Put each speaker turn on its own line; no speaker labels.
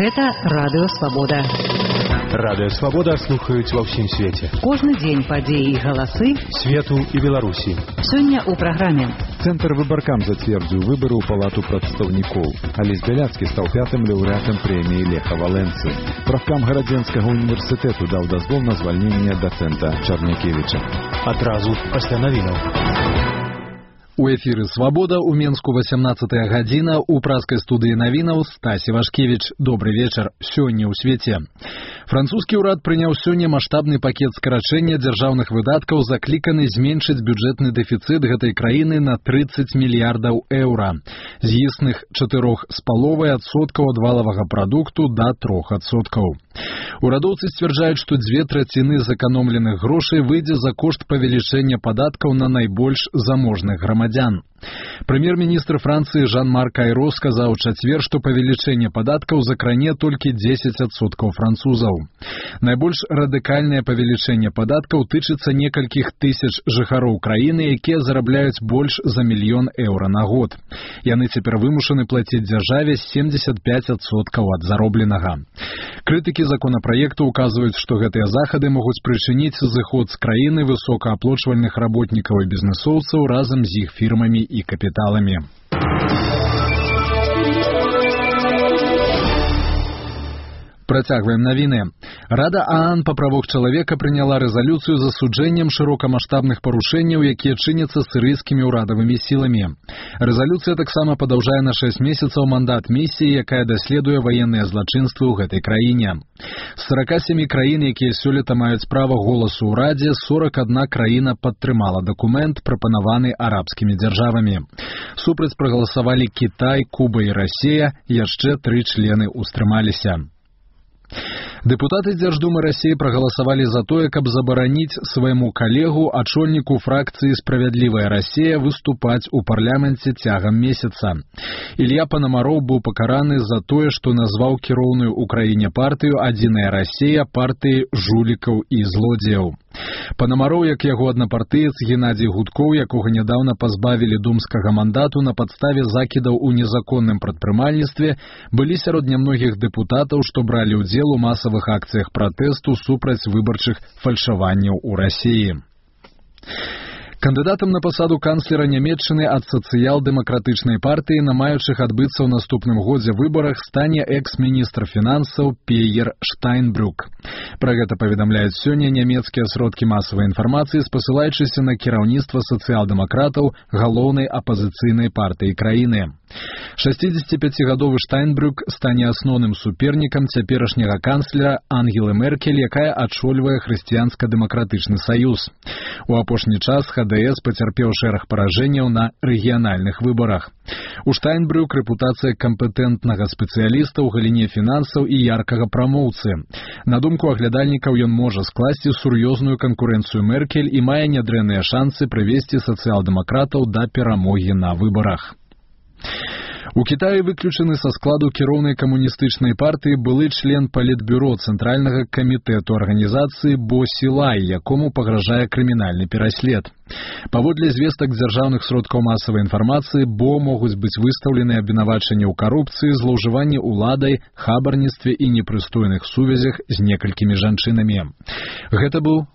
Гэта Радыё Свабода.
Радыё Свабода слухаюць ва ўсім свеце.
Кожны дзень падзеі і галасы
свету і Беларусі.
Сёння ў праграме.
Цэнтр выбаркам зацвердзіў выбары ў палату прадстаўнікоў. Алесь Бяляцкі стаў 5-м лаўрэатам прэміі Леха Валенцы. Правкам Гарадзенскага універсітэту даў дазвол на звальненне дацэнта Чарнякевіча.
Адразу пасля навінаў.
У эфіры «Свабода» у Менску 18-я гадзіна, у праскай студыі навінаў Стасі Вашкевіч. Добры вечар. Сёння ў свеце. Французскі ўрад прыняў сёння маштабны пакет скарачэння дзяржаўных выдаткаў, закліканы зменшыць бюджэтны дэфіцыт гэтай краіны на 30 мільярдаў еўра. З існых 4,5% ад валавага прадукту да 3%. Урадоўцы сцвярджаюць, што 2/3 зэканомленых грошай выйдзе за кошт павелічэння падаткаў на найбольш заможных грамадзян. Прэм'ер-міністр Францыі Жан-Марк Айро сказаў у чацвер, што павелічэнне падаткаў закране толькі 10% французаў. Найбольш радыкальнае павелічэнне падаткаў тычыцца некалькіх тысяч жыхароў краіны, якія зарабляюць больш за 1 мільён еўра на год. Яны цяпер вымушаны плаціць дзяржаве 75% ад заробленага. Крытыкі законапраекту указваюць, што гэтыя захады могуць прычыніць зыход з краіны высокааплочвальных работнікаў і бізнесоўцаў разам з іх фірмамі і капіталамі. Працягваем навіны. Рада ААН па правах чалавека прыняла рэзалюцыю з асуджэннем шырокамаштабных парушэнняў, якія чыняцца сірыйскімі ўрадавымі сіламі. Рэзалюцыя таксама падаўжае на 6 месяцаў мандат місіі, якая даследуе ваенныя злачынствы ў гэтай краіне. З 47 краін, якія сёлета маюць права голасу ў Радзе, 41 краіна падтрымала дакумент, прапанаваны арабскімі дзяржавамі. Супраць прагаласавалі Кітай, Куба і Расія, яшчэ 3 члены ўстрымаліся. Дэпутаты Дзярждумы Расіі прагаласавалі за тое, каб забараніць свайму калегу, ачольніку фракцыі «Справядлівая Расія» выступаць у парламенце цягам месяца. Ілья Панамароў быў пакараны за тое, што назваў кіроўную ў краіне партыю «Адзіная Расія» партыі жулікаў і злодзеяў. Панамароў, як яго аднапартыец Геннадзій Гудкоў, якога нядаўна пазбавілі думскага мандату на падставе закідаў у незаконным прадпрымальніцтве, былі сярод нямногіх дэпутатаў, што бралі ўдзел у масавых акцыях пратэсту супраць выбарчых фальшаванняў у Расіі. Кандыдатам на пасаду канцлера Нямецчыны ад сацыял-дэмакратычнай партыі на маючых адбыцца ў наступным годзе выбарах стане экс-міністр фінансаў Пейер Штайнбрюк. Пра гэта паведамляюць сёння нямецкія сродкі масавай інфармацыі, спасылаючыся на кіраўніцтва сацыял-дэмакратаў галоўнай апазіцыйнай партыі краіны. 65-гадовы Штайнбрюк стане асноўным супернікам цяперашняга канцлера Ангелы Меркель, якая ачольвае хрысціянска-дэмакратычны саюз. У апошні час ХДС пацярпеў шэраг паражэнняў на рэгіянальных выбарах. У Штайнбрюк рэпутацыя кампетэнтнага спецыяліста ў галіне фінансаў і яркага прамоўцы. На думку аглядальнікаў, ён можа скласці сур'ёзную канкурэнцыю Меркель і мае нядрэнныя шансы прывесці сацыял-дэмакратаў да перамогі на выбарах. У Кітаі выключаны са складу кіроўнай камуністычнай партыі былы член палітбюро Цэнтральнага камітэту арганізацыі Бо Сілай, якому пагражае крымінальны пераслед. Паводле звестак дзяржаўных сродкаў масавай інфармацыі, Бо могуць быць выстаўлены абвінавачанні ў карупцыі, злоўжыванні ўладай, хабарніцтве і непрыстойных сувязях з некалькімі жанчынамі. Гэта быў